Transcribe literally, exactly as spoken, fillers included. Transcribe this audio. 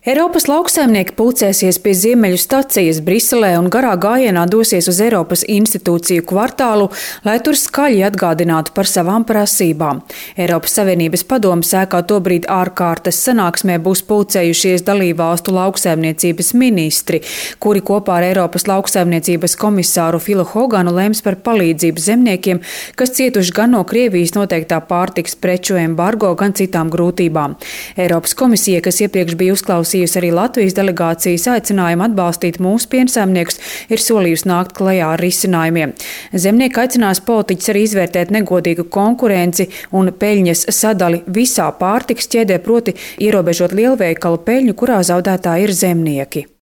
Eiropas lauksaimnieki pulcēsies pie Ziemeļu stacijas Briselē un garā gājienā dosies uz Eiropas institūciju kvartālu, lai tur skaļi atgādinātu par savām prasībām. Eiropas Savienības padomes ēkā tobrīd ārkārtas sanāksmē būs pulcējušies dalībvalstu lauksaimniecības ministri, kuri kopā ar Eiropas lauksaimniecības komisāru Filu Hoganu lems par palīdzību zemniekiem, kas cietuši gan no Krievijas noteiktā pārtikas preču embargo, gan citām grūtībām. Eiropas komisija, kas iepriekš bija uzklausījusi arī Latvijas delegācijas aicinājumu atbalstīt mūsu piensaimniekus, ir solījusi nākt klajā ar risinājumiem. Zemnieki aicinās politiķus arī izvērtēt negodīgu konkurenci un peļņas sadali visā pārtikas ķēdē, proti ierobežot lielveikalu peļņu, kurā zaudētāji ir zemnieki.